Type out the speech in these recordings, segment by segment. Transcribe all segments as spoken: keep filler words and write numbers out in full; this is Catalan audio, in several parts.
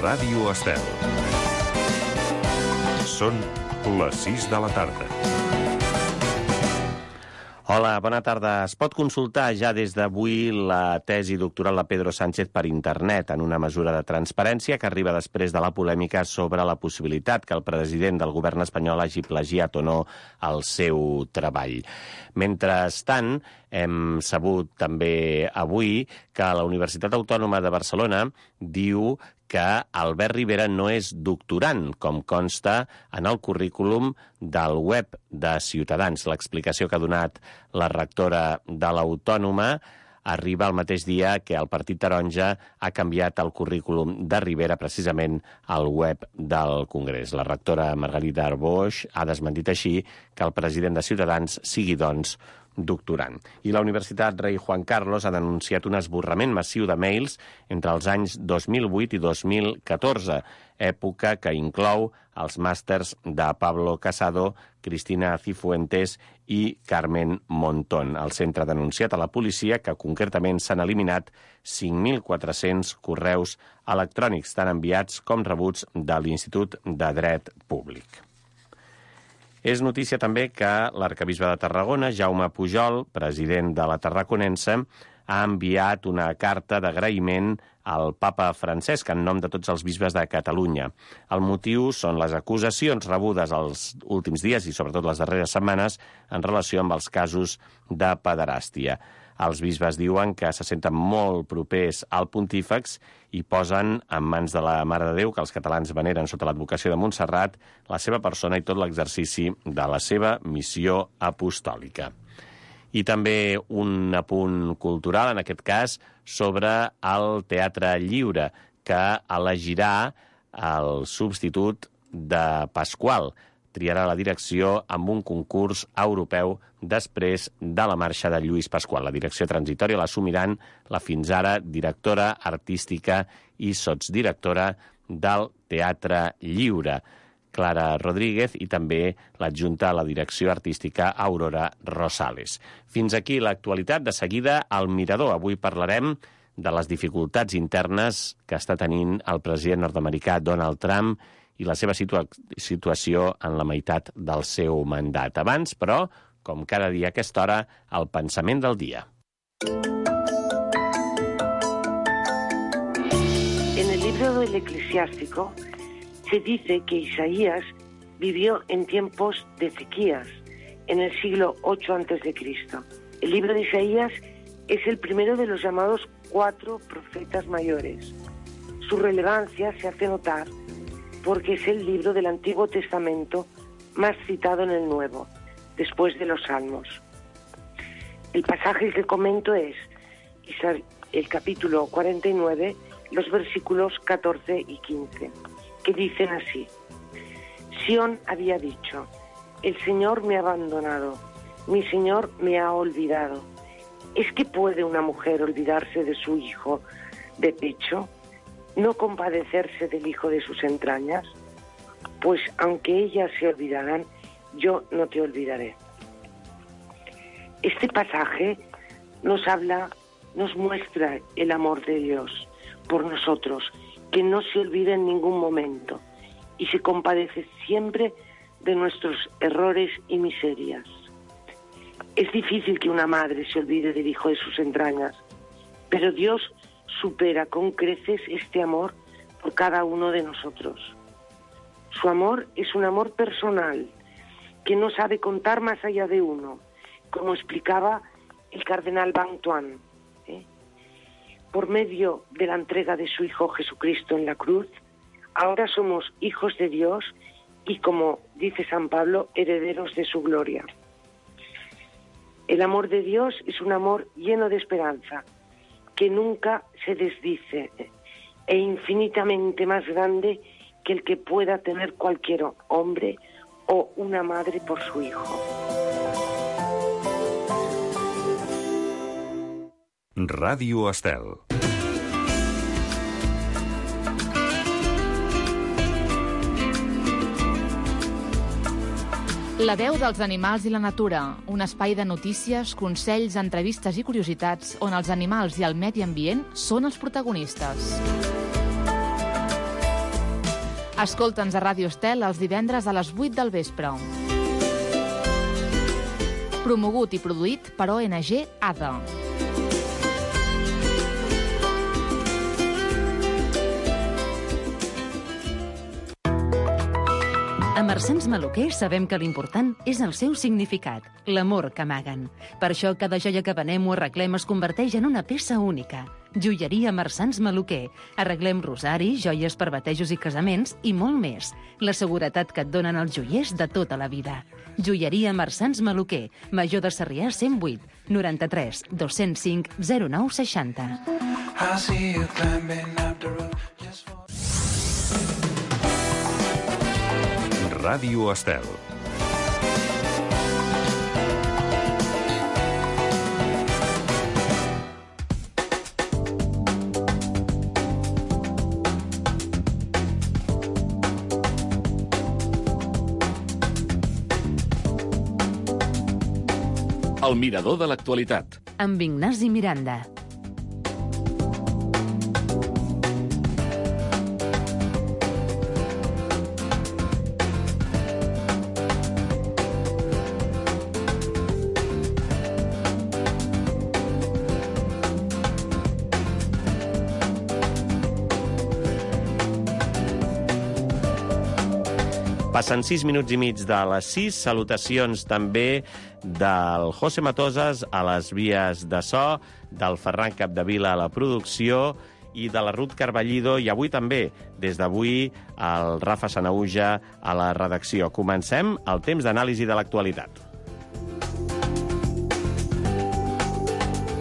Ràdio Estel. Són les sis de la tarda. Hola, bona tarda. Es pot consultar ja des d'avui la tesi doctoral de Pedro Sánchez per internet, en una mesura de transparència que arriba després de la polèmica sobre la possibilitat que el president del govern espanyol hagi plagiat o no el seu treball. Mentrestant, hem sabut també avui que la Universitat Autònoma de Barcelona diu que Albert Rivera no és doctorant, com consta en el currículum del web de Ciutadans. L'explicació que ha donat la rectora de l'Autònoma arriba el mateix dia que el Partit Taronja ha canviat el currículum de Rivera precisament al web del Congrés. La rectora Margarida Arboix ha desmentit així que el president de Ciutadans sigui, doncs, doctorant. I la Universitat Rei Juan Carlos ha denunciat un esborrament massiu de mails entre els anys dos mil vuit i dos mil catorze, època que inclou els màsters de Pablo Casado, Cristina Cifuentes i Carmen Montón. El centre ha denunciat a la policia que concretament s'han eliminat cinc mil quatre-cents correus electrònics, tant enviats com rebuts de l'Institut de Dret Públic. És notícia també que l'arquebisbe de Tarragona, Jaume Pujol, president de la Tarraconense, ha enviat una carta d'agraïment al papa Francesc en nom de tots els bisbes de Catalunya. El motiu són les acusacions rebudes els últims dies i sobretot les darreres setmanes en relació amb els casos de pederàstia. Els bisbes diuen que se senten molt propers al pontífex i posen en mans de la Mare de Déu, que els catalans veneren sota l'advocació de Montserrat, la seva persona i tot l'exercici de la seva missió apostòlica. I també un apunt cultural, en aquest cas, sobre el Teatre Lliure, que elegirà el substitut de Pasqual. Triarà la direcció amb un concurs europeu després de la marxa de Lluís Pasqual. La direcció transitòria l'assumiran la fins ara directora artística i sotsdirectora del Teatre Lliure, Clara Rodríguez, i també l'adjunta a la direcció artística Aurora Rosales. Fins aquí l'actualitat. De seguida, al Mirador. Avui parlarem de les dificultats internes que està tenint el president nord-americà Donald Trump i la seva situa- situació en la meitat del seu mandat. Abans, però, com cada dia a aquesta hora, el pensament del dia. En el libro del Eclesiástico se dice que Isaías vivió en tiempos de Ezequías, en el siglo ocho antes de Cristo. El libro de Isaías es el primero de los llamados cuatro profetas mayores. Su relevancia se hace notar porque es el libro del Antiguo Testamento más citado en el Nuevo, después de los Salmos. El pasaje que comento es el capítulo cuarenta y nueve, los versículos catorce y quince, que dicen así: Sión había dicho, el Señor me ha abandonado, mi Señor me ha olvidado. ¿Es que puede una mujer olvidarse de su hijo de pecho? ¿No compadecerse del hijo de sus entrañas? Pues aunque ellas se olvidarán, yo no te olvidaré. Este pasaje nos habla, nos muestra el amor de Dios por nosotros, que no se olvida en ningún momento y se compadece siempre de nuestros errores y miserias. Es difícil que una madre se olvide del hijo de sus entrañas, pero Dios supera con creces este amor por cada uno de nosotros. Su amor es un amor personal, que no sabe contar más allá de uno, como explicaba el cardenal Bantuan. ¿eh? Por medio de la entrega de su Hijo Jesucristo en la cruz, ahora somos hijos de Dios y, como dice San Pablo, herederos de su gloria. El amor de Dios es un amor lleno de esperanza, que nunca se desdice, e infinitamente más grande que el que pueda tener cualquier hombre o una madre por su hijo. Ràdio Estel. La veu dels animals i la natura, un espai de notícies, consells, entrevistes i curiositats on els animals i el medi ambient són els protagonistes. Escolta'ns a Ràdio Estel els divendres a les vuit del vespre. Promogut i produït per O N G A D A. A Marsans Maluquer sabem que l'important és el seu significat, l'amor que amaguen. Per això cada joia que venem o arreglem es converteix en una peça única. Joieria Marsans Maluquer. Arreglem rosaris, joies per batejos i casaments i molt més. La seguretat que et donen els joiers de tota la vida. Joieria Marsans Maluquer. Major de Sarrià cent vuit, noranta-tres, dos-cents cinc, zero nou seixanta. Ràdio Estel. El mirador de l'actualitat. Amb Ignasi Miranda. Passen sis minuts i mig de les sis. Salutacions també del José Matosas a les vies de so, del Ferran Capdevila a la producció i de la Ruth Carballido, i avui també, des d'avui, el Rafa Sanauja a la redacció. Comencem el temps d'anàlisi de l'actualitat.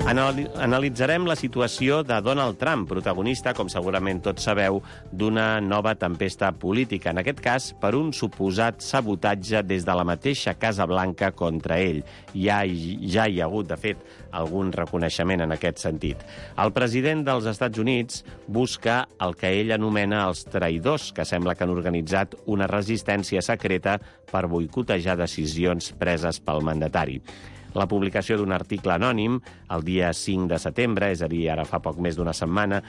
Analitzarem la situació de Donald Trump, protagonista, com segurament tots sabeu, d'una nova tempesta política, en aquest cas per un suposat sabotatge des de la mateixa Casa Blanca contra ell. Ja, ja hi ha hagut, de fet, algun reconeixement en aquest sentit. El president dels Estats Units busca el que ell anomena els traïdors, que sembla que han organitzat una resistència secreta per boicotejar decisions preses pel mandatari. La publicació d'un article anònim el dia cinc de setembre, és a dir, ara fa poc més d'una setmana,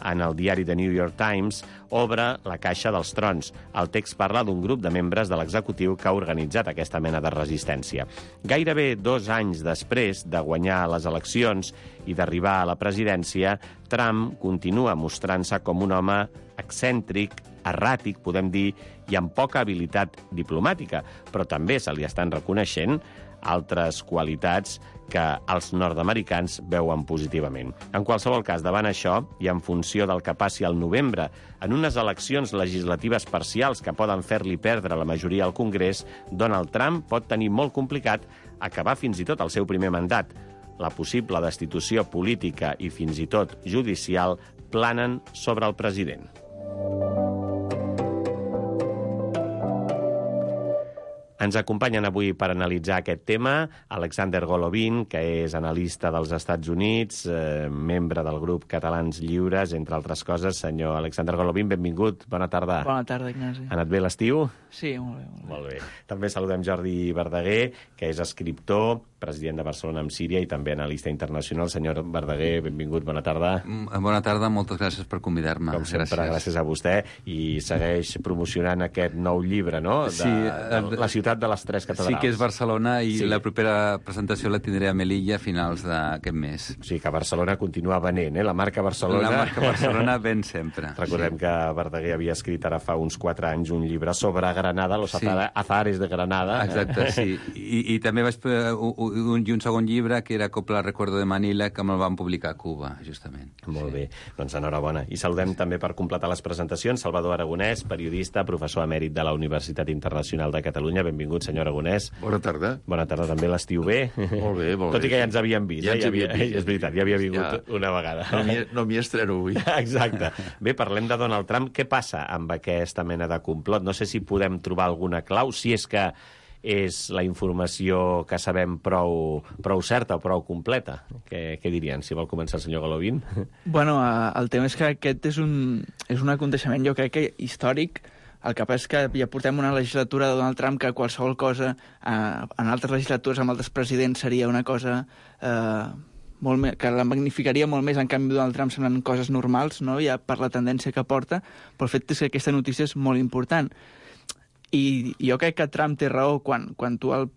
en el diari The New York Times, obre la caixa dels trons. El text parla d'un grup de membres de l'executiu que ha organitzat aquesta mena de resistència. Gairebé dos anys després de guanyar les eleccions i d'arribar a la presidència, Trump continua mostrant-se com un home excèntric, erràtic, podem dir, i amb poca habilitat diplomàtica, però també se li estan reconeixent altres qualitats que els nord-americans veuen positivament. En qualsevol cas, davant això, i en funció del que passi al novembre, en unes eleccions legislatives parcials que poden fer-li perdre la majoria al Congrés, Donald Trump pot tenir molt complicat acabar fins i tot el seu primer mandat. La possible destitució política i fins i tot judicial planen sobre el president. Ens acompanyen avui per analitzar aquest tema Alexander Golovin, que és analista dels Estats Units, eh, membre del grup Catalans Lliures, entre altres coses. Senyor Alexander Golovin, benvingut, bona tarda. Bona tarda, Ignasi. Ha anat bé l'estiu? Sí, molt bé, molt bé. Molt bé. També saludem Jordi Verdaguer, que és escriptor, president de Barcelona amb Síria i també analista internacional. Senyor Verdaguer, benvingut, bona tarda. Bona tarda, moltes gràcies per convidar-me. Com sempre, gràcies. gràcies a vostè. I segueix promocionant aquest nou llibre, no? De, sí, de la ciutat de les tres catedrals. Sí, que és Barcelona, i sí. La propera presentació la tindré a Melilla a finals d'aquest mes. O sigui que Barcelona continua venent, eh? La marca Barcelona... La marca Barcelona ven sempre. Recordem sí. que Verdaguer havia escrit ara fa uns quatre anys un llibre sobre Granada, los sí. azares de Granada. Exacte, sí. I, i també vaig un, un, un segon llibre que era Copla Recuerdo de Manila, que me'l van publicar a Cuba, justament. Molt sí. bé, doncs enhorabona. I saludem també per completar les presentacions Salvador Aragonès, periodista, professor emèrit de la Universitat Internacional de Catalunya. Benvingut, senyor Aragonès. Bona tarda. Bona tarda també, l'estiu bé. Molt bé, molt bé. Tot i que ja ens havíem vist. Ja eh? ens ja havia, havíem vist. És veritat, ja havia vingut ja. una vegada. No m'hi estreno avui. Exacte. Bé, parlem de Donald Trump. Què passa amb aquesta mena de complot? No sé si podem trobar alguna clau, si és que és la informació que sabem prou, prou certa o prou completa. Què, què dirien? Si vol començar el senyor Golovin. Bueno, el tema és que aquest és un, és un aconteixement, jo crec que històric. El que passa és que ja portem una legislatura de Donald Trump que qualsevol cosa, eh, en altres legislatures amb altres presidents, seria una cosa eh, molt més, que la magnificaria molt més, en canvi Donald Trump semblen coses normals, no? Ja per la tendència que porta, però el fet és que aquesta notícia és molt important. I jo crec que Trump té raó quan, quan tu al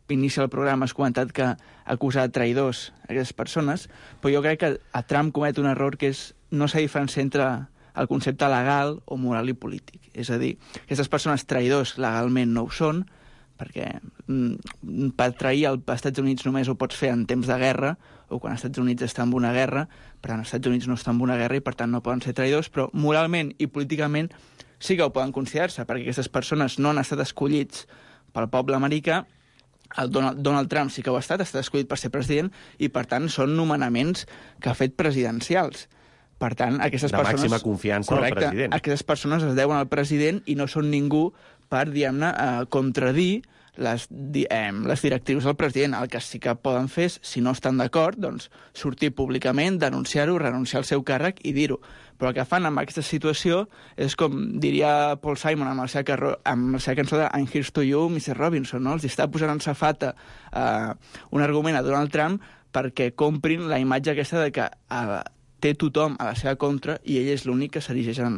inici del programa has comentat que acusa de traïdors a aquestes persones, però jo crec que a Trump comet un error que és no s'ha diferenciat entre el concepte legal o moral i polític. És a dir, aquestes persones traïdors legalment no ho són, perquè mm, per trair als Estats Units només ho pots fer en temps de guerra o quan els Estats Units està en una guerra, per tant els Estats Units no estan en una guerra i per tant no poden ser traïdors, però moralment i políticament sí que ho poden considerar-se, perquè aquestes persones no han estat escollits pel poble americà. El Donald, Donald Trump sí que ho ha estat, ha estat escollit per ser president, i per tant són nomenaments que ha fet presidencials. Per tant, aquestes de persones... màxima confiança al president. Aquestes persones es deuen al president i no són ningú per, diguem-ne, eh, contradir les, di, eh, les directrius del president. El que sí que poden fer és, si no estan d'acord, doncs sortir públicament, denunciar-ho, renunciar al seu càrrec i dir-ho. Però el que fan amb aquesta situació és com diria Paul Simon amb la seva, carro, amb la seva cançó de I'm Here's to You, missus Robinson, no? Els està posant en safata eh, un argument a Donald Trump perquè comprin la imatge aquesta de que eh, té tothom a la seva contra i ell és l'únic que s'erigeix en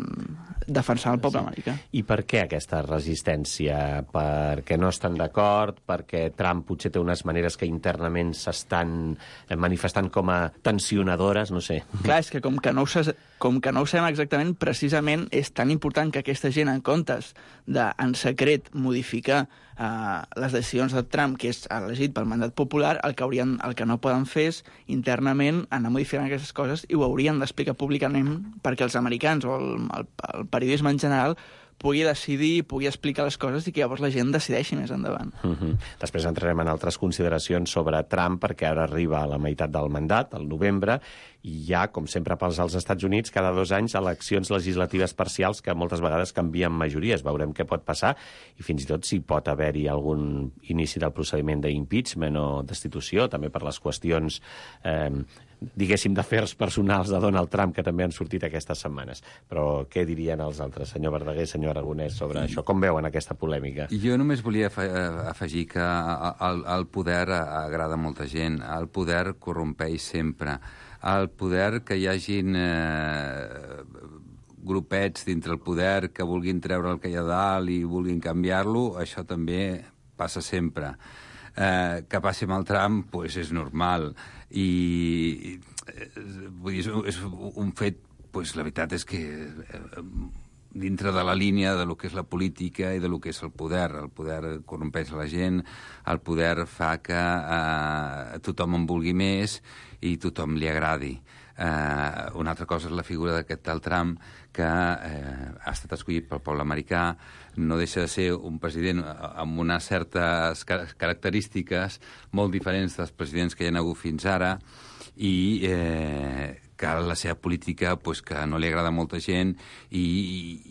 defensar el poble sí. americà. I per què aquesta resistència? Perquè no estan d'acord? Perquè Trump potser té unes maneres que internament s'estan manifestant com a tensionadores? No sé. Clar, és que com que no ho, sa- com que no ho sabem exactament, precisament és tan important que aquesta gent, en comptes de, en secret, modificar uh, les decisions de Trump, que és elegit pel mandat popular, el que, haurien, el que no poden fer és internament anar modificant aquestes coses i ho haurien d'explicar públicament perquè els americans o el, el, el periodisme en general pugui decidir, pugui explicar les coses i que llavors la gent decideixi més endavant. Uh-huh. Després entrarem en altres consideracions sobre Trump, perquè ara arriba a la meitat del mandat, al novembre, i hi ha, com sempre pels als Estats Units, cada dos anys eleccions legislatives parcials que moltes vegades canvien majories. Veurem què pot passar i fins i tot si pot haver-hi algun inici del procediment d'impeachment o destitució, també per les qüestions eh, diguéssim, d'afers personals de Donald Trump, que també han sortit aquestes setmanes. Però què dirien els altres, senyor Verdaguer, senyor Aragonès, sobre això? Com veuen aquesta polèmica? Jo només volia afegir que el, el poder agrada a molta gent, el poder corrompeix sempre, el poder que hi hagin eh, grupets dintre el poder que vulguin treure el que hi ha dalt i vulguin canviar-lo, això també passa sempre. Eh, que passi amb el Trump, pues, és normal. I eh, vull dir, és un fet, pues, la veritat és que eh, dintre de la línia de lo que és la política i de lo que és el poder. El poder corrompeix la gent, el poder fa que eh, tothom en vulgui més i tothom li agradi. Eh, una altra cosa és la figura d'aquest tal Trump, que eh, ha estat escollit pel poble americà, no deixa de ser un president amb unes certes característiques molt diferents dels presidents que hi ha hagut fins ara i eh, que la seva política pues, que no li agrada a molta gent i,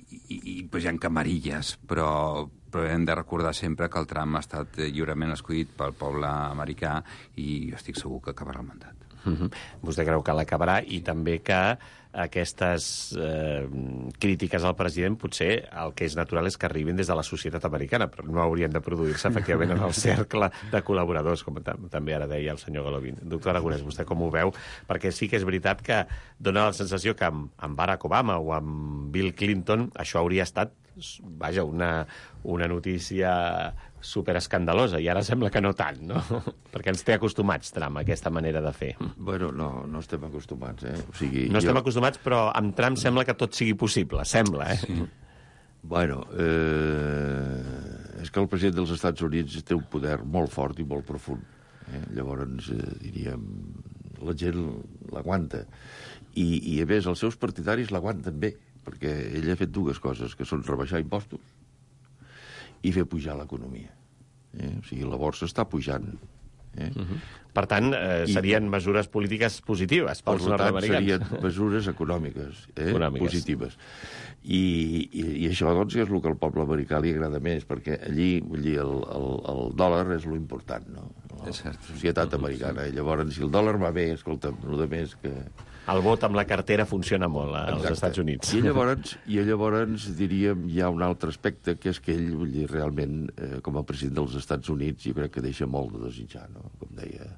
i, i pues, hi ha camarilles, però, però hem de recordar sempre que el Trump ha estat lliurement escollit pel poble americà i jo estic segur que acabarà el mandat. Uh-huh. Vostè creu que l'acabarà i també que aquestes eh, crítiques al president potser el que és natural és que arribin des de la societat americana, però no haurien de produir-se efectivament en el cercle de col·laboradors, com també ara deia el senyor Golovin. Doctor Aragonès, vostè com ho veu? Perquè sí que és veritat que dona la sensació que amb, amb Barack Obama o amb Bill Clinton això hauria estat, vaja, una, una notícia superescandalosa, i ara sembla que no tant, no? Perquè ens té acostumats, Trump, a aquesta manera de fer. Bueno, no, no estem acostumats, eh? O sigui, no estem jo... acostumats, però amb Trump sembla que tot sigui possible, sembla, eh? Sí. Bueno, eh, és que el president dels Estats Units té un poder molt fort i molt profund. Eh? Llavors, eh, diríem, la gent l'aguanta. I, I, a més, els seus partidaris l'aguanten bé, perquè ell ha fet dues coses, que són rebaixar impostos i fer pujar l'economia. Eh? O sigui, la borsa està pujant. Eh? Uh-huh. Per tant, eh, serien I, mesures polítiques positives pels nord-americans. Serien mesures econòmiques, eh? econòmiques. positives. I, i, I això, doncs, és el que al poble americà li agrada més, perquè allí, vull dir, el, el, el dòlar és lo important, no? La societat americana. I llavors, si el dòlar va bé, escolta, el de més que... El vot amb la cartera funciona molt als Exacte. Estats Units. I llavors, i llavors, diríem, hi ha un altre aspecte, que és que ell, vull dir, realment, eh, com a president dels Estats Units, jo crec que deixa molt de desitjar, no? Com deia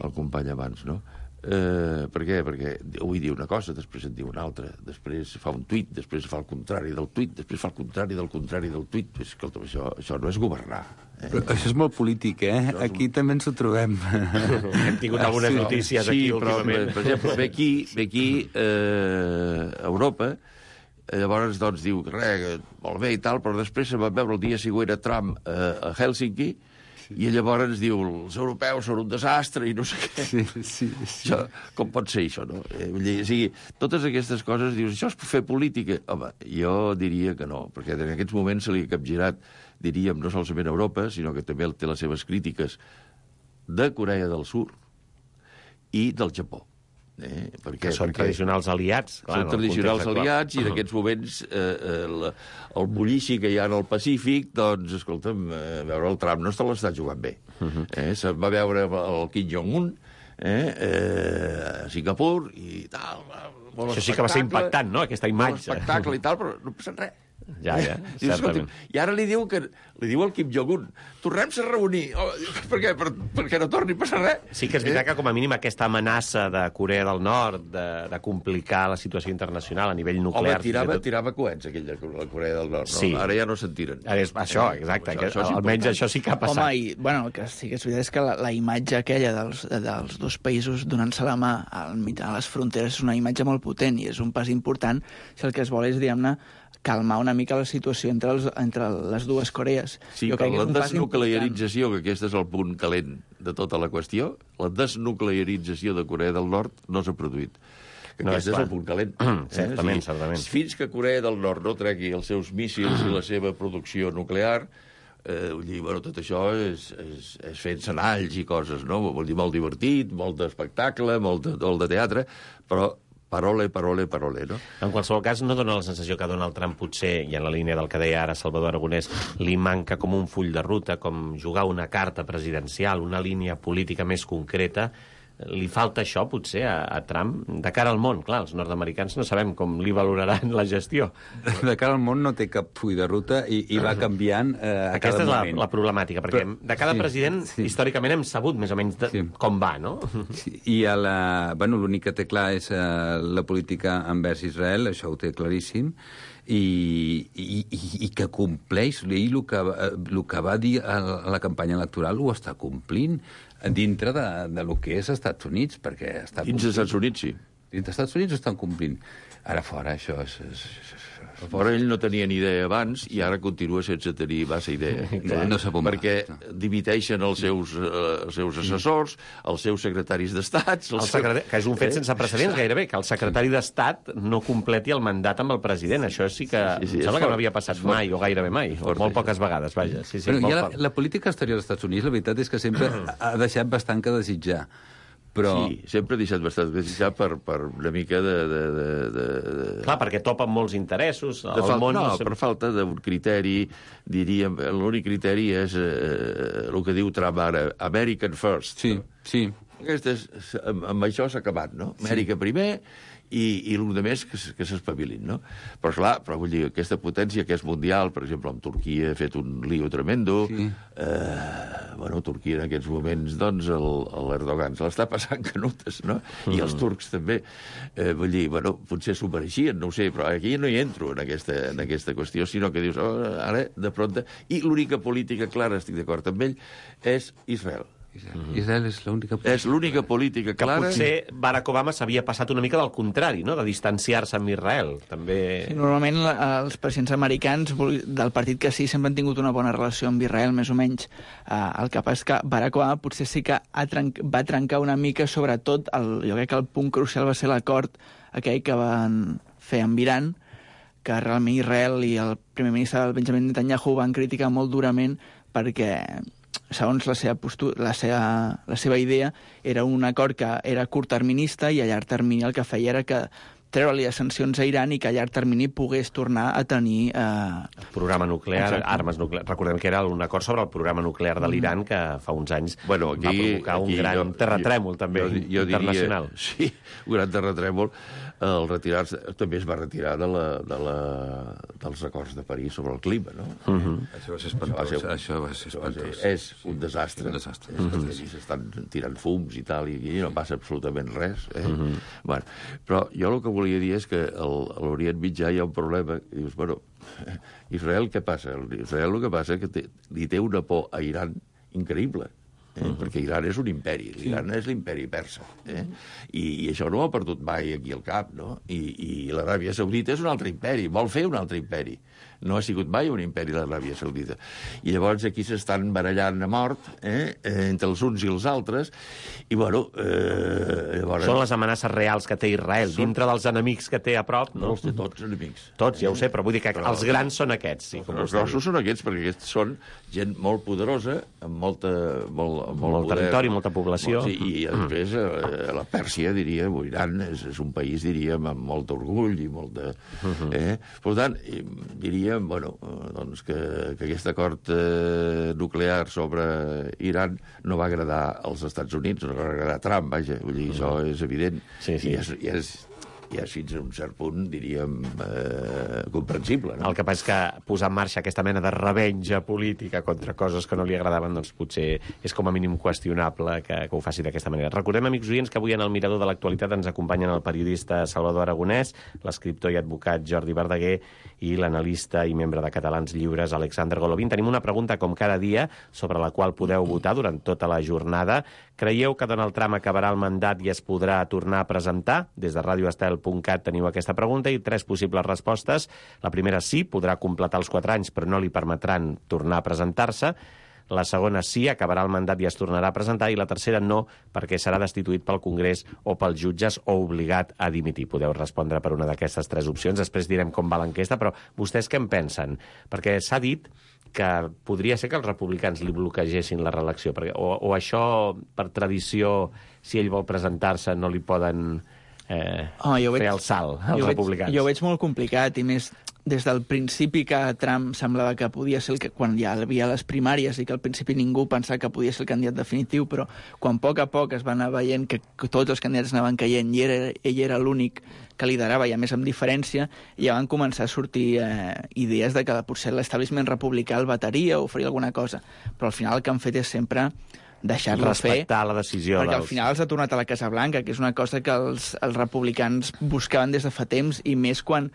el company abans, no? Eh, per què? Perquè avui diu una cosa, després en diu una altra, després fa un tuit, després fa el contrari del tuit, després fa el contrari del contrari del tuit. Pues, escolta, això, això no és governar. Eh? Però això és molt polític, eh? És aquí un... també ens ho trobem. Hem tingut algunes sí, notícies sí, aquí però, últimament. Per exemple, ve aquí, ve aquí eh, a Europa, llavors doncs diu, res, molt bé i tal, però després se va veure el dia següent a Trump eh, a Helsinki, i llavors ens diu, els europeus són un desastre i no sé què. Sí, sí, sí. Això, com pot ser això, no? Eh, vull dir, o sigui, totes aquestes coses, dius, això és fer política? Home, jo diria que no, perquè en aquests moments se li ha capgirat, diríem, no solament a Europa, sinó que també té les seves crítiques de Corea del Sur i del Japó. Eh? Perquè, que són perquè tradicionals aliats. Clar, són tradicionals aliats i en aquests moments eh, el, el bullici que hi ha en el Pacífic, doncs, escolta'm, eh, veure el Trump no se l'està jugant bé. Uh-huh. eh? Se'n va veure el Kim Jong-un eh, eh, a Singapur i tal. Això sí que va ser impactant, no?, aquesta imatge. Molt espectacle i tal, però no passa res. Ja, ja, Dius, certament. I ara li diu que li diu al Kim Jong-un, tornem-se a reunir. Oh, per què? Per, perquè no torni a passar res. Sí que és veritat que, com a mínim, aquesta amenaça de Corea del Nord de, de complicar la situació internacional a nivell nuclear... Home, tirava, tot... tirava coets, aquell de la Corea del Nord. No? Sí. Ara ja no se'n tiren. Ara és, això, exacte. Això, això almenys important. Això sí que ha passat. Home, i, bueno, el que sí que és veritat és que la, la imatge aquella dels, dels dos països donant-se la mà al mig de les fronteres és una imatge molt potent i és un pas important si el que es vol és, diguem-ne, calmar una mica la situació entre, els, entre les dues Corees. Sí, jo crec però que la desnuclearització, que aquest és el punt calent de tota la qüestió, la desnuclearització de Corea del Nord no s'ha produït. Que no, aquest és, és el punt calent. certament, eh? certament. Fins que Corea del Nord no tregui els seus míssils i la seva producció nuclear, eh, vull dir, bueno, tot això és, és, és fent senalls i coses, no? Vol dir, molt divertit, molt d'espectacle, molt de, molt de teatre, però parole, parole, parole, no? En qualsevol cas, no dona la sensació que Donald Trump potser, i en la línia del que deia ara Salvador Aragonès, li manca com un full de ruta, com jugar una carta presidencial, una línia política més concreta. Li falta això, potser, a, a Trump? De cara al món, clar, els nord-americans no sabem com li valoraran la gestió. De cara al món no té cap full de ruta i, i va canviant eh, a Aquesta cada és la, moment. la problemàtica, perquè Però, de cada sí, president, sí. històricament, hem sabut més o menys de, sí. com va, no? Sí. I a la, bueno, l'únic que té clar és eh, la política envers Israel, això ho té claríssim, i, i, i, i que compleix, ell el que, el que va dir a la campanya electoral ho està complint dintre de, de lo que és Estats Units, perquè està complint. Dins dels Estats Units, sí. Dins dels Estats Units ho estan complint. Ara fora, això és... és, és, és fora ell no tenia ni idea abans i ara continua sense tenir massa idea. No, no sap on perquè va. Dimiteixen els seus, uh, els seus assessors, els seus secretaris d'Estat... El secretari... Que és un fet sense precedents, gairebé, que el secretari d'Estat no completi el mandat amb el president. Això sí que... Sí, sí, em sembla que no havia passat mai, o gairebé mai, o molt poques vegades, vaja. Sí, sí, Però molt ja la, la política exterior dels Estats Units, la veritat és que sempre ha deixat bastant que desitjar. Però... Sí, sempre ha deixat bastant que desitjar per, per una mica de... de, de, de... Clar, perquè topa amb molts interessos. De falta, món no, no per falta d'un criteri, diríem, l'únic criteri és eh, el que diu Trump ara, American First. Sí, sí. Aquest és, amb, amb això s'ha acabat, no? Amèrica sí. primer i, i l'un de més que, que s'espavilin, no? Però, esclar, però vull dir, aquesta potència que és mundial, per exemple, amb Turquia ha fet un lío tremendo, sí. eh, bueno, Turquia en aquests moments, doncs, l'Erdogan se l'està passant canutes, no? Mm. I els turcs també. Eh, vull dir, bueno, potser s'ho mereixien, no ho sé, però aquí no hi entro en aquesta, en aquesta qüestió, sinó que dius, oh, ara, de pronta... I l'única política clara, estic d'acord amb ell, és Israel. Israel, Israel és l'única política. És l'única política clara. Que potser Barack Obama s'havia passat una mica del contrari, no?, de distanciar-se amb Israel. També... Sí, normalment els presidents americans del partit que sí sempre han tingut una bona relació amb Israel, més o menys. Uh, el que passa és que Barack Obama potser sí que ha trenc va trencar una mica, sobretot, el, jo crec que el punt crucial va ser l'acord aquell que van fer amb Iran, que realment Israel i el primer ministre Benjamin Netanyahu van criticar molt durament perquè... segons la seva, postura, la, seva, la seva idea, era un acord que era curtterminista i a llarg termini el que feia era que treure-li les sancions a Iran i que a llarg termini pogués tornar a tenir... Eh... Programa nuclear, Exacte. armes nuclears. Recordem que era un acord sobre el programa nuclear de l'Iran que fa uns anys bueno, aquí, va provocar un aquí gran jo, terratrèmol, també, jo, jo internacional. Diria, sí, un gran terratrèmol. El retirar-se també es va retirar de la, de la, dels acords de París sobre el clima, no? Uh -huh. Això va ser espantós. Això va ser, això va ser espantós. És un desastre. Un desastre. Uh -huh. S'estan tirant fums i tal, i, i no passa absolutament res. Eh? Uh -huh. Bueno, però jo el que volia dir és que al, a l'Orient Mitjà hi ha un problema. I dius, bueno, Israel què passa? Israel el que passa és que té, li té una por a Iran increïble. Eh? Uh -huh. Perquè Iran és un imperi, l'Iran sí. és l'imperi persa, eh? I, i això no ho ha perdut mai aquí al cap, no? I, i l'Aràbia Saudita és un altre imperi, vol fer un altre imperi. No ha sigut mai un imperi l'Aràbia Saudita. I llavors aquí s'estan barallant a mort, eh? Eh, entre els uns i els altres, i bueno... Eh, llavors... Són les amenaces reals que té Israel, són... dintre dels enemics que té a prop, no? No els té tots enemics. Tots, ja ho sé, però vull dir que però... els grans són aquests, sí. Com els grossos són aquests, perquè aquests són gent molt poderosa, amb molta... Molt, amb molt, molt poder, territori, molta població. Molt, sí, i després eh, la Pèrsia, diria, Iran, és, és un país, diríem, amb molt orgull i molt de... Eh? Per tant, diríem, bueno, doncs que, que aquest acord eh, nuclear sobre Iran no va agradar als Estats Units, no va agradar a Trump, vaja, vull dir, això és evident. Sí, sí. I és, i és i és fins a un cert punt, diríem, eh, comprensible. No? El que passa és que posar en marxa aquesta mena de revenja política contra coses que no li agradaven, doncs potser és com a mínim qüestionable que, que ho faci d'aquesta manera. Recordem, amics oients, que avui en el Mirador de l'Actualitat ens acompanyen el periodista Salvador Aragonès, l'escriptor i advocat Jordi Verdaguer i l'analista i membre de Catalans Lliures Alexander Golovin. Tenim una pregunta, com cada dia, sobre la qual podeu votar durant tota la jornada. Creieu que Donald Trump acabarà el mandat i es podrà tornar a presentar? Des de radio estel punt cat teniu aquesta pregunta i tres possibles respostes. La primera, sí, podrà completar els quatre anys, però no li permetran tornar a presentar-se. La segona, sí, acabarà el mandat i es tornarà a presentar. I la tercera, no, perquè serà destituït pel Congrés o pels jutges o obligat a dimitir. Podeu respondre per una d'aquestes tres opcions. Després direm com va l'enquesta, però vostès què en pensen? Perquè s'ha dit que podria ser que els republicans li bloquegessin la reelecció, perquè, o, o això, per tradició, si ell vol presentar-se, no li poden eh, oh, fer veig, el salt als jo republicans. Veig, jo ho veig molt complicat, i més des del principi que Trump semblava que podia ser el que, quan ja hi havia les primàries i que al principi ningú pensava que podia ser el candidat definitiu, però quan a poc a poc es va anar veient que, que tots els candidats anaven caient i era, ell era l'únic que liderava, i a més amb diferència, ja van començar a sortir eh, idees de que potser l'establishment republicà el vetaria o faria alguna cosa, però al final el que han fet és sempre deixar-lo fer, respectar la decisió perquè dels... al final els ha tornat a la Casa Blanca, que és una cosa que els, els republicans buscaven des de fa temps, i més quan,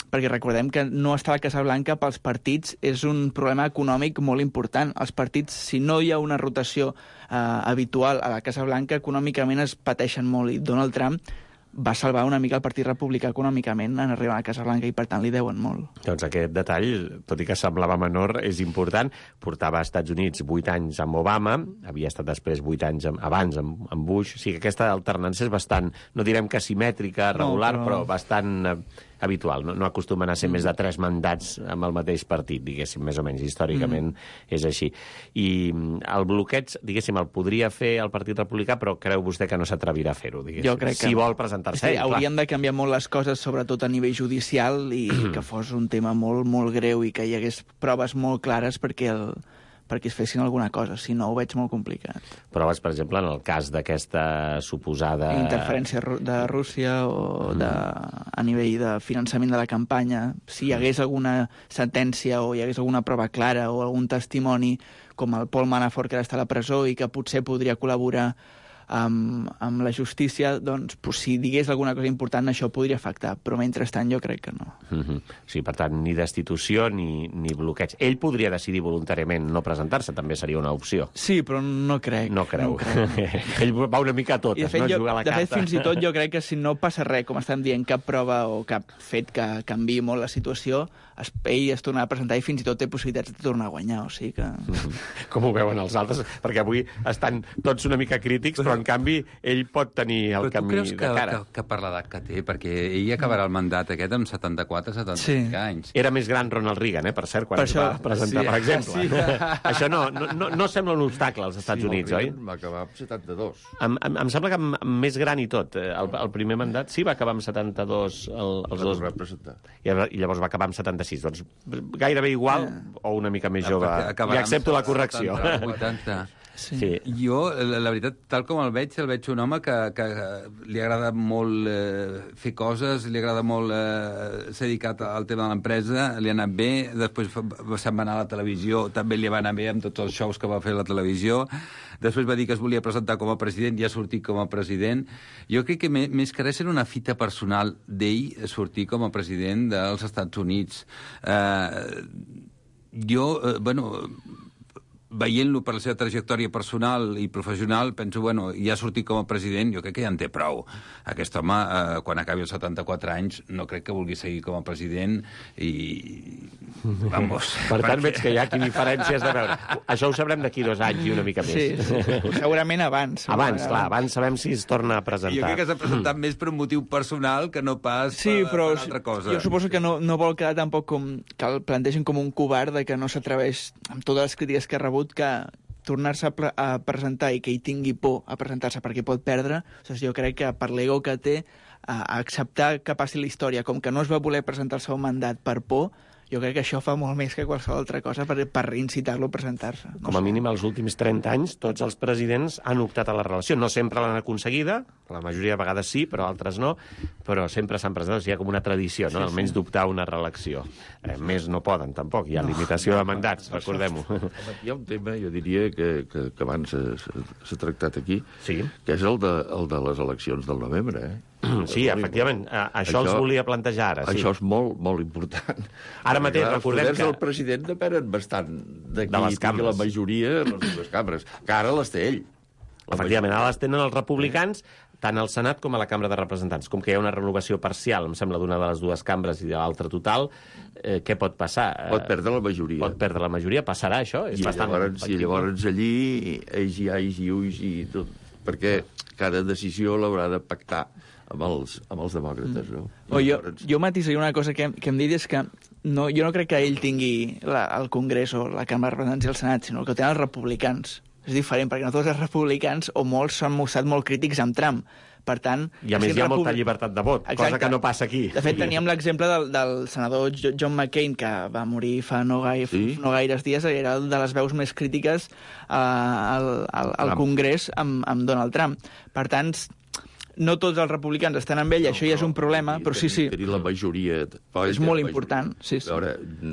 perquè recordem que no estar a la Casa Blanca pels partits és un problema econòmic molt important. Els partits, si no hi ha una rotació eh, habitual a la Casa Blanca, econòmicament es pateixen molt, i Donald Trump va salvar una mica el Partit Republicà econòmicament en arribar a la Casa Blanca, i per tant li deuen molt. Doncs aquest detall, tot i que semblava menor, és important. Portava als Estats Units vuit anys amb Obama, havia estat després vuit anys amb, abans amb, amb Bush, o sigui que aquesta alternança és bastant, no direm que simètrica, regular, no, però... però bastant eh, habitual. No, no acostumen a ser mm. més de tres mandats amb el mateix partit, diguéssim, més o menys, històricament mm. és així. I el bloqueig, diguéssim, el podria fer el Partit Republicà, però creu vostè que no s'atrevirà a fer-ho, diguéssim. Jo crec que... Si vol presentar-se. Sí, haurien de canviar molt les coses, sobretot a nivell judicial, i que fos un tema molt, molt greu i que hi hagués proves molt clares perquè el perquè es fessin alguna cosa, si no ho veig molt complicat. Proves, per exemple, en el cas d'aquesta suposada... interferència de Rússia o de, a nivell de finançament de la campanya, si hi hagués alguna sentència o hi hagués alguna prova clara o algun testimoni, com el Paul Manafort, que ara està a la presó i que potser podria col·laborar amb, amb la justícia, doncs, pues, si digués alguna cosa important, això podria afectar, però mentrestant jo crec que no. Mm-hmm. Sí, per tant, ni destitució ni, ni bloqueig. Ell podria decidir voluntàriament no presentar-se, també seria una opció. Sí, però no crec. No creu. No crec. Ell va una mica a totes, I de fet, no? Jo, Jugar a la de carta. fet, fins i tot jo crec que si no passa res, com estem dient, cap prova o cap fet que canviï molt la situació, es, ell es tornarà a presentar i fins i tot té possibilitats de tornar a guanyar, o sigui que... Com ho veuen els altres? Perquè avui estan tots una mica crítics, però en canvi, ell pot tenir el camí de que, cara. Que, que per l'edat que té, perquè ell acabarà el mandat aquest amb setanta-quatre setanta-cinc sí. anys. Era més gran Ronald Reagan, eh, per cert, quan per es això... va presentar, sí, per exemple. Sí. Això no, no, no sembla un obstacle als Estats sí, Units, oi? Va acabar amb setanta-dos. Em, em, em sembla que amb, amb més gran i tot. El, el primer mandat sí va acabar amb setanta-dos, el, els dos... I, I llavors va acabar amb setanta-sis. Doncs gairebé igual o una mica més jove. I accepto la correcció. vuitanta. Sí. Sí. Jo, la, la veritat, tal com el veig, el veig un home que, que li agrada molt eh, fer coses, li agrada molt eh, ser dedicat al tema de l'empresa, li ha anat bé, després se'n va anar a la televisió, també li va anar bé amb tots els shows que va fer a la televisió, després va dir que es volia presentar com a president i ha sortit com a president. Jo crec que més que res era una fita personal d'ell sortir com a president dels Estats Units. Eh, jo, eh, bueno... veient-lo per la seva trajectòria personal i professional, penso, bueno, ja ha sortit com a president, jo crec que ja en té prou. Aquest home, eh, quan acabi els setanta-quatre anys, no crec que vulgui seguir com a president i... Vamos. Per tant, veig que hi ha aquí diferències de veure. Això ho sabrem d'aquí dos anys i una mica més. Sí, sí. Segurament abans. Abans, clar, abans sabem si es torna a presentar. Jo crec que s'ha presentat més per un motiu personal que no pas sí, per, però per altra cosa. Jo suposo que no, no vol quedar tampoc com... que el plantegen com un covard de que no s'atreveix amb totes les crítiques que ha rebut que tornar-se a, a presentar i que ell tingui por a presentar-se perquè pot perdre, o sigui, jo crec que per l'ego que té, a, a acceptar que passi la història, com que no es va voler presentar el seu mandat per por, jo crec que això fa molt més que qualsevol altra cosa per, per incitar-lo a presentar-se. No Com a sé. mínim, els últims trenta anys, tots els presidents han optat a la relació. No sempre l'han aconseguida, la majoria de vegades sí, però altres no, però sempre s'han presentat. O sigui, hi ha com una tradició, no? Sí, almenys sí. d'optar a una reelecció. Eh, més no poden, tampoc. Hi ha no, limitació no, de mandats, recordem-ho. Hi ha un tema, jo diria, que, que, que abans s'ha tractat aquí, sí. que és el de, el de les eleccions del novembre, eh? Sí, efectivament. Això, això els volia plantejar ara. Sí. Això és molt, molt important. Ara mateix clar, recordem que... Els poders del president depenen bastant d'aquí de les cambres. La majoria de les dues cambres, que ara les té ell. Efectivament, ara les tenen els republicans, tant al Senat com a la Cambra de Representants. Com que hi ha una renovació parcial, em sembla, d'una de les dues cambres i de l'altra total, eh, què pot passar? Pot perdre la majoria. Pot perdre la majoria, passarà això? És I, bastant llavors, I llavors allí, ells i ais i ulls i tot, perquè cada decisió l'haurà de pactar amb els, amb els demòcrates, no? O jo, jo matisaria una cosa que, que em dit és que no, jo no crec que ell tingui la, el Congrés o la Cambra de Representants i el Senat, sinó que el tenen els republicans. És diferent, perquè no tots els republicans, o molts, s'han mostrat molt crítics amb Trump. Per tant... I a més hi ha molta llibertat de vot, exacte, cosa que no passa aquí. De fet, teníem l'exemple del, del senador John McCain, que va morir fa no, gaire, sí? no gaires dies, era de les veus més crítiques uh, al, al, al Congrés amb, amb Donald Trump. Per tant, no tots els republicans estan amb ell, no, això ja és un problema, però sí, sí. Tenir la majoria... És molt important, sí, sí. A veure,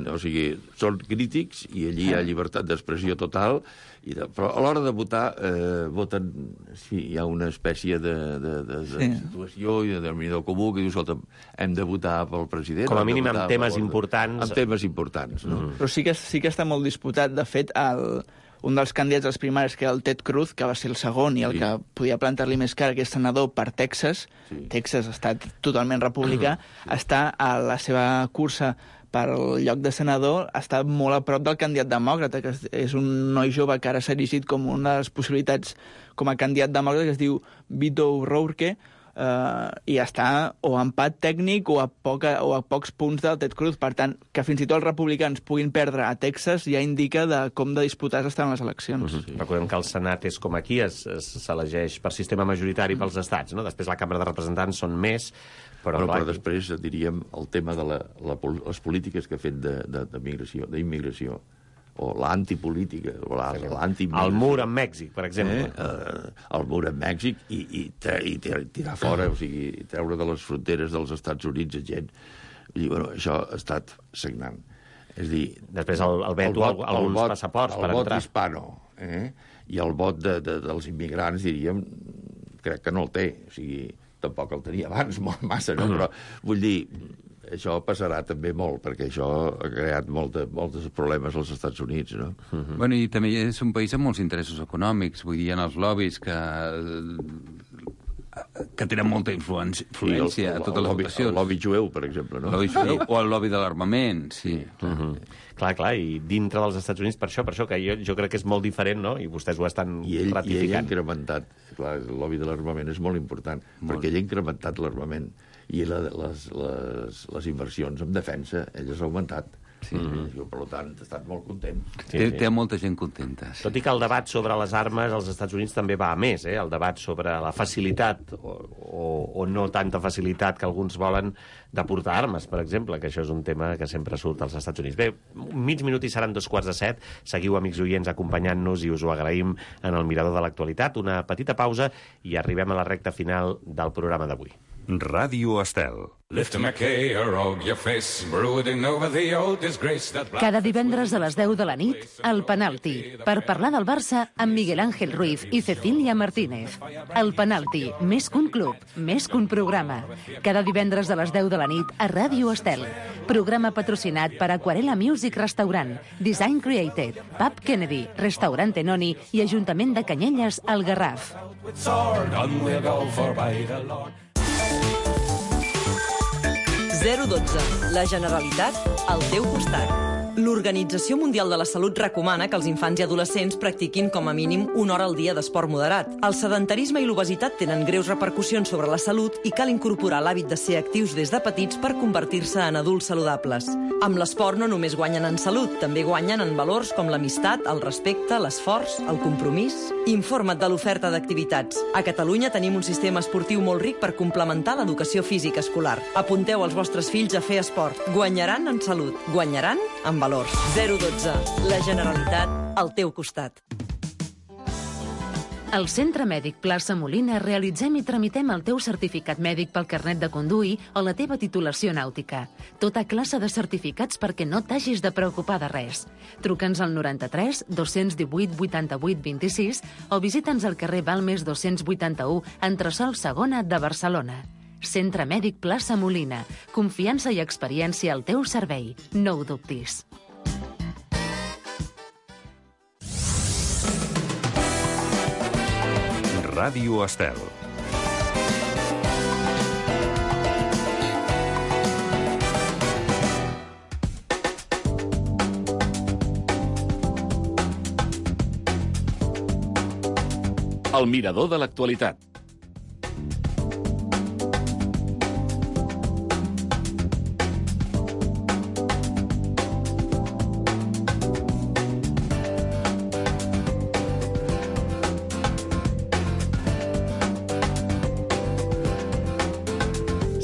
o sigui, són crítics i allí hi ha llibertat d'expressió total, i de, però a l'hora de votar eh, voten... Sí, hi ha una espècie de, de, de, de sí. situació i de denominador comú que diu, escolta, hem de votar pel president... Com a mínim amb temes importants. Amb temes importants, no? Mm. Però sí que, sí que està molt disputat. De fet, el... un dels candidats als primaris, que era el Ted Cruz, que va ser el segon i el sí. que podia plantar-li més cara, que és senador per Texas, sí. Texas, estat totalment republicà, sí. està a la seva cursa per al lloc de senador, està molt a prop del candidat demòcrata, que és un noi jove que ara s'ha erigit com una de les possibilitats com a candidat demòcrata, que es diu Beto O'Rourke, Uh, i està o a empat tècnic o a, poca, o a pocs punts del Ted Cruz. Per tant, que fins i tot els republicans puguin perdre a Texas ja indica de com de disputades estan les eleccions. Uh-huh. Sí. Recordem que el Senat és com aquí, s'elegeix per sistema majoritari pels estats, no? Després la Cambra de Representants són més, però... Però, però després diríem el tema de la, la, les polítiques que ha fet d'immigració, d'immigració. O l'antipolítica, o l'anti-immigració. El mur amb Mèxic, per exemple. Eh? Uh, el mur amb Mèxic i, i, i tirar fora, o sigui, treure de les fronteres dels Estats Units a gent. I, bueno, això ha estat sagnant. És dir... Després el, el veto a alguns vot, passaports per entrar. El vot entrar. hispano, eh? I el vot de, de, dels immigrants, diríem, crec que no el té. O sigui, tampoc el tenia abans, molt massa, no? Però vull dir... Això passarà també molt, perquè això ha creat molta, molts problemes als Estats Units, no? Uh-huh. Bueno, i també és un país amb molts interessos econòmics, vull dir, en els lobbies que que tenen molta influència, influència a totes les votacions. El lobby jueu, per exemple, no? El lobby jueu, o el lobby de l'armament, sí. Uh -huh. Clar, clar, i dintre dels Estats Units, per això, per això, que jo, jo crec que és molt diferent, no?, i vostès ho estan I ell, ratificant. I ell ha incrementat, clar, el lobby de l'armament és molt important, molt. perquè ell ha incrementat l'armament, i la, les, les, les inversions en defensa, ell has augmentat. Sí, mm-hmm. Jo, per tant, he estat molt content. Sí, té, sí. té molta gent contenta. Sí. Tot i que el debat sobre les armes als Estats Units també va a més, eh? El debat sobre la facilitat o, o, o no tanta facilitat que alguns volen de portar armes, per exemple, que això és un tema que sempre surt als Estats Units. Bé, mig minut i seran dos quarts de set. Seguiu, amics oients, acompanyant-nos i us ho agraïm en el Mirador de l'Actualitat. Una petita pausa i arribem a la recta final del programa d'avui. Ràdio Estel. Cada divendres a les deu de la nit, El Penalti, per parlar del Barça amb Miguel Ángel Ruiz i Cecília Martínez. El Penalti, més que un club, més que un programa. Cada divendres a les deu de la nit a Ràdio Estel. Programa patrocinat per Aquarela Music Restaurant, Design Created, Pub Kennedy, Restaurant Tenoni i Ajuntament de Canyelles, al Garraf. zero dotze. La Generalitat al teu costat. L'Organització Mundial de la Salut recomana que els infants i adolescents practiquin com a mínim una hora al dia d'esport moderat. El sedentarisme i l'obesitat tenen greus repercussions sobre la salut i cal incorporar l'hàbit de ser actius des de petits per convertir-se en adults saludables. Amb l'esport no només guanyen en salut, també guanyen en valors com l'amistat, el respecte, l'esforç, el compromís. Informa't de l'oferta d'activitats. A Catalunya tenim un sistema esportiu molt ric per complementar l'educació física escolar. Apunteu els vostres fills a fer esport. Guanyaran en salut, guanyaran en valors. zero dotze. La Generalitat al teu costat. Al Centre Mèdic Plaça Molina realitzem i tramitem el teu certificat mèdic pel carnet de conduir o la teva titulació nàutica. Tota classe de certificats perquè no t'hagis de preocupar de res. Truca'ns al noranta-tres dos-cents divuit vuitanta-vuit vint-i-sis o visita'ns al carrer Balmes dos-cents vuitanta-u, entresòl segona de Barcelona. Centre Mèdic Plaça Molina. Confiança i experiència al teu servei. No ho dubtis. Ràdio Estel. El Mirador de l'Actualitat.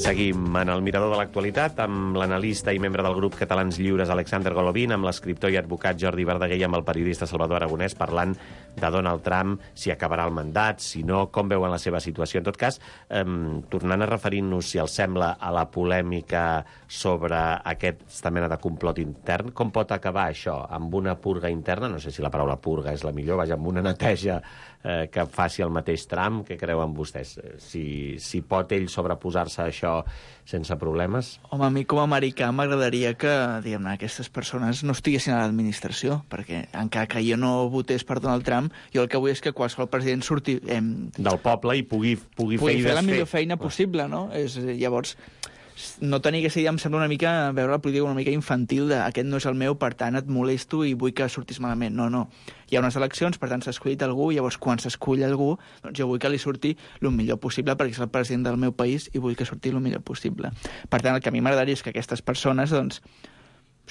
Seguim en el Mirador de l'Actualitat amb l'analista i membre del grup Catalans Lliures Alexander Golovin, amb l'escriptor i advocat Jordi Verdaguer i amb el periodista Salvador Aragonès parlant de Donald Trump, si acabarà el mandat, si no, com veuen la seva situació. En tot cas, eh, tornant a referir-nos, si els sembla, a la polèmica sobre aquesta mena de complot intern, com pot acabar això? Amb una purga interna? No sé si la paraula purga és la millor, vaja, amb una neteja eh, que faci el mateix Trump. Què creuen vostès? Si, si pot ell sobreposar-se a això sense problemes? Home, a mi com a americà m'agradaria que, diguem-ne, aquestes persones no estiguessin a l'administració, perquè encara que jo no votés per Donald Trump, jo el que vull és que qualsevol president surti... Eh, del poble i pugui, pugui, pugui fer i fer la desfer. millor feina possible, no? És, llavors, no tenir aquesta idea em sembla una mica, veure la política una mica infantil de aquest no és el meu, per tant et molesto i vull que surtis malament. No, no. Hi ha unes eleccions, per tant s'ha escollit algú, i llavors quan s'escull algú, doncs jo vull que li surti el millor possible perquè és el president del meu país i vull que surti el millor possible. Per tant, el que a mi m'agradaria és que aquestes persones, doncs,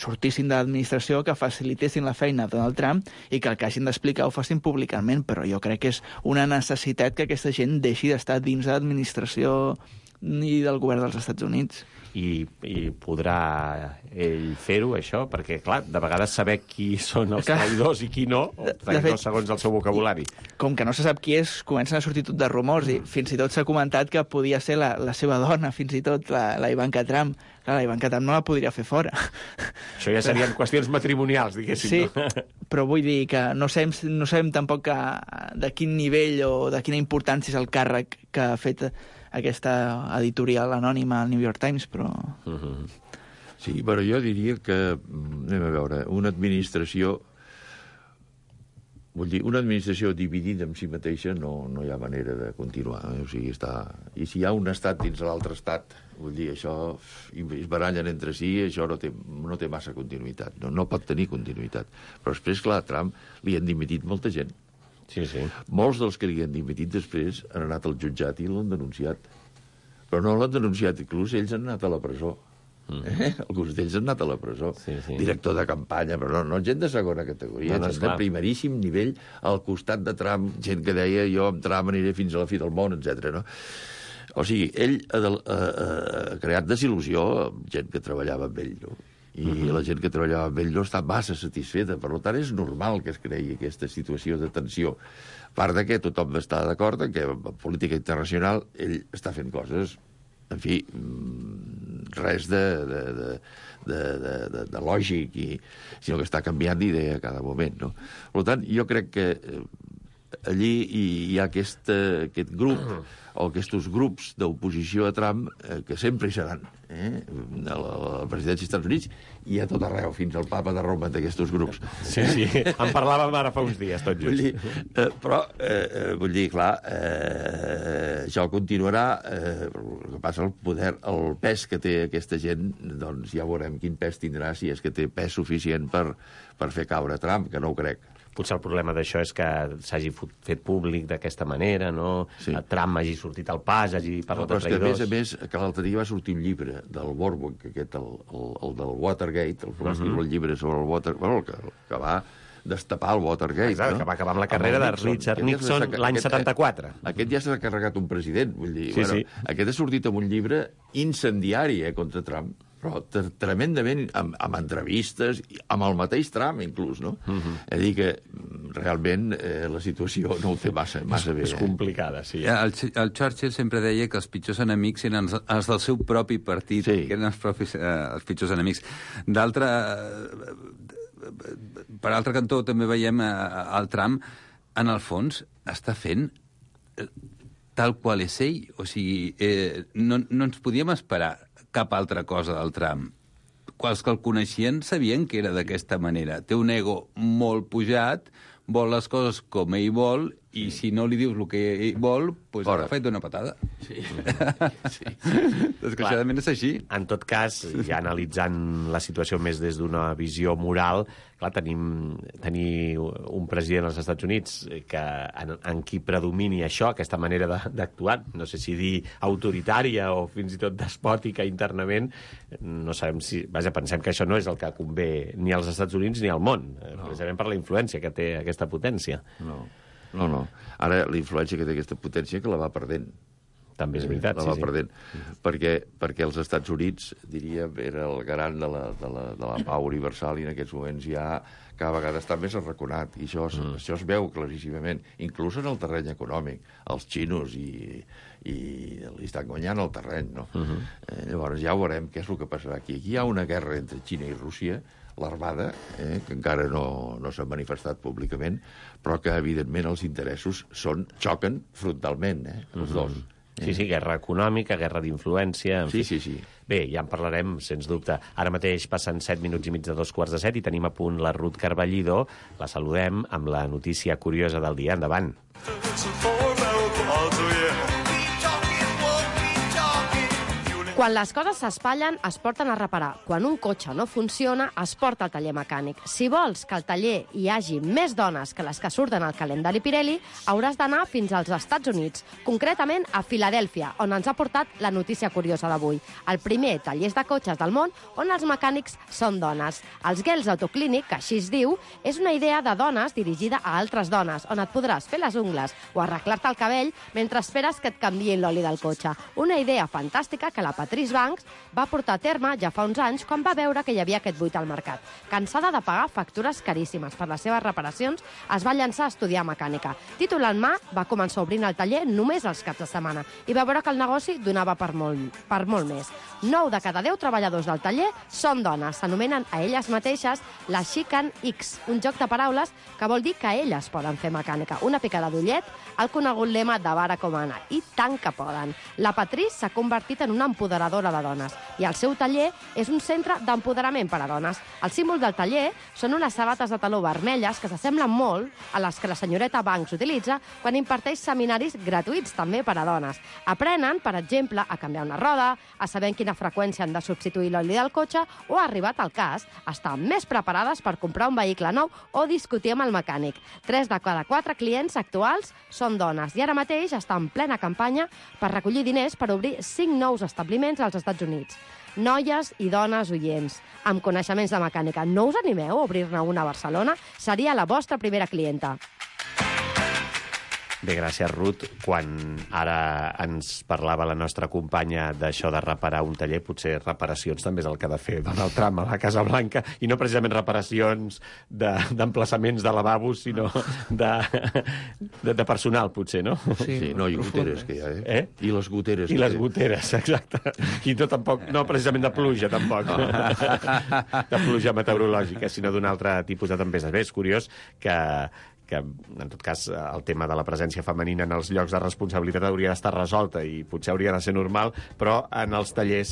sortissin de l'administració, que facilitessin la feina a Donald Trump i que el que hagin d'explicar ho facin públicament, però jo crec que és una necessitat que aquesta gent deixi d'estar dins de l'administració ni del govern dels Estats Units. I, i podrà ell fer-ho, això? Perquè, clar, de vegades saber qui són els traïdors i qui no, o traïdors segons el seu vocabulari. Com que no se sap qui és, comencen a sortir tot de rumors, i fins i tot s'ha comentat que podia ser la, la seva dona, fins i tot, la, la Ivanka Trump. Clar, la Ivanka Trump no la podria fer fora. Això ja serien qüestions matrimonials, diguéssim. Sí, no? Però vull dir que no sabem, no sabem tampoc que, de quin nivell o de quina importància és el càrrec que ha fet aquesta editorial anònima al New York Times, però... Uh-huh. Sí, però jo diria que, anem a veure, una administració Vull dir, una administració dividida en si mateixa no, no hi ha manera de continuar. Eh? O sigui, està... I si hi ha un estat dins l'altre estat, vull dir, això i es barallen entre si, això no té, no té massa continuïtat. No, no pot tenir continuïtat. Però després, clar, a Trump li han dimitit molta gent. Sí, sí. Molts dels que li han dimitit després han anat al jutjat i l'han denunciat. Però no l'han denunciat, inclús ells han anat a la presó. Eh? Alguns d'ells han anat a la presó. Sí, sí. Director de campanya, però no, no gent de segona categoria, no, no, gent de primeríssim nivell al costat de Trump, gent que deia jo amb Trump aniré fins a la fi del món, etcètera. No? O sigui, ell ha, ha, ha creat desil·lusió amb gent que treballava amb ell, no? I uh -huh. la gent que treballava amb ell no està massa satisfeta, per tant és normal que es creï aquesta situació de tensió. A part de que tothom està d'acord en que en política internacional ell està fent coses, en fi, res de, de, de, de, de, de, de lògic, i, sinó que està canviant d'idea a cada moment. No? Per tant, jo crec que allí hi ha aquest, aquest grup, o aquests grups d'oposició a Trump, eh, que sempre hi seran, eh? a la, la presidència dels Estats Units i a tot arreu, fins al papa de Roma, d'aquests grups. Sí, sí, en parlàvem ara fa uns dies, tot just. Vull dir, eh, però, eh, vull dir, clar, eh, això continuarà, eh, el que passa, el poder, el pes que té aquesta gent, doncs ja veurem quin pes tindrà, si és que té pes suficient per, per fer caure Trump, que no ho crec. Potser el problema d'això és que s'hagi fet públic d'aquesta manera, no? Sí. Trump hagi sortit al pas, hagi parlat no, de traïdors... Però és que, a més a més, que l'altre dia va sortir un llibre del Borbon, aquest, el, el, el del Watergate, el que va escriure uh -huh. el llibre sobre el Watergate, bueno, el que, el que va destapar el Watergate. Exacte, no? que va acabar amb la carrera amb de Richard Nixon aquest, l'any setanta-quatre. Aquest ja s'ha carregat un president, vull dir... Sí, bueno, sí. Aquest ha sortit amb un llibre incendiari eh, contra Trump, però tremendament, amb, amb entrevistes, amb el mateix Trump, inclús, no? Uh -huh. És a dir que, realment, eh, la situació no ho té massa, massa bé. És complicada, sí. El, el Churchill sempre deia que els pitjors enemics eren els, els del seu propi partit, sí. que eren els, propis, eh, els pitjors enemics. D'altra... Per altre cantó, també veiem eh, el Trump, en el fons, està fent tal qual és ell. O sigui, eh, no, no ens podíem esperar cap altra cosa del Trump. Els que el coneixien sabien que era d'aquesta manera. Té un ego molt pujat, vol les coses com ell vol, i si no li dius el que ell vol, doncs ha fet una patada. Sí. sí. Desgraciadament és així. En tot cas, ja analitzant la situació més des d'una visió moral, clar, tenim tenir un president als Estats Units que, en, en qui predomini això, aquesta manera d'actuar, no sé si dir autoritària o fins i tot despòtica internament, no sabem si... Vaja, pensem que això no és el que convé ni als Estats Units ni al món, no. precisament per la influència que té aquesta potència. No. No, no. Ara, la influència que té aquesta potència que la va perdent. També és veritat, la sí, va sí. perdent. Uh-huh. perquè, perquè els Estats Units, diríem, era el garant de la, de la, de la pau universal i en aquests moments ja cada vegada està més arraconat. I això, uh-huh. això es veu claríssimament, inclús en el terreny econòmic. Els xinos i, i li estan guanyant el terreny, no? Uh-huh. Eh, llavors ja veurem què és el que passarà aquí. Aquí hi ha una guerra entre Xina i Rússia, l'Armada, eh, que encara no, no s'ha manifestat públicament, però que, evidentment, els interessos són, xoquen frontalment, eh, els dos. Eh? Sí, sí, guerra econòmica, guerra d'influència... Sí, sí, sí. Bé, ja en parlarem, sens dubte. Ara mateix passen set minuts i mig de dos quarts de set i tenim a punt la Ruth Carballido. La saludem amb la notícia curiosa del dia. Endavant. Quan les coses s'espatllen, es porten a reparar. Quan un cotxe no funciona, es porta al taller mecànic. Si vols que al taller hi hagi més dones que les que surten al calendari Pirelli, hauràs d'anar fins als Estats Units, concretament a Filadèlfia, on ens ha portat la notícia curiosa d'avui. El primer taller de cotxes del món on els mecànics són dones. Els Girls Autoclinic, que així es diu, és una idea de dones dirigida a altres dones, on et podràs fer les ungles o arreglar-te el cabell mentre esperes que et canviïn l'oli del cotxe. Una idea fantàstica que la Patrice Banks va portar a terme ja fa uns anys quan va veure que hi havia aquest buit al mercat. Cansada de pagar factures caríssimes per les seves reparacions, es va llançar a estudiar mecànica. Títol en mà, va començar obrint el taller només els caps de setmana i va veure que el negoci donava per molt, per molt més. Nou de cada deu treballadors del taller són dones. S'anomenen a elles mateixes la Chican X, un joc de paraules que vol dir que elles poden fer mecànica. Una picada d'ullet al conegut lema de Barack Obama. I tant que poden. La Patrice s'ha convertit en una empoderada empoderadora de dones. I el seu taller és un centre d'empoderament per a dones. El símbol del taller són unes sabates de taló vermelles que s'assemblen molt a les que la senyoreta Banks utilitza quan imparteix seminaris gratuïts també per a dones. Aprenen, per exemple, a canviar una roda, a saber en quina freqüència han de substituir l'oli del cotxe o, ha arribat al cas, estar més preparades per comprar un vehicle nou o discutir amb el mecànic. Tres de cada quatre clients actuals són dones i ara mateix està en plena campanya per recollir diners per obrir cinc nous establiments als Estats Units. Noies i dones oients, amb coneixements de mecànica, no us animeu a obrir-ne una a Barcelona? Seria la vostra primera clienta. Bé, gràcies, Ruth. Quan ara ens parlava la nostra companya d'això de reparar un taller, potser reparacions també és el que ha de fer Donald Trump a la Casa Blanca, i no precisament reparacions d'emplaçaments de, de lavabos, sinó de, de, de personal, potser, no? Sí, sí, no, i goteres que hi ha, eh? eh? I les goteres. I les goteres, exacte. I no, tampoc, no precisament de pluja, tampoc. No. De pluja meteorològica, sinó d'un altre tipus de tempestes. Bé, és curiós que que, en tot cas, el tema de la presència femenina en els llocs de responsabilitat hauria d'estar resolta i potser hauria de ser normal, però en els tallers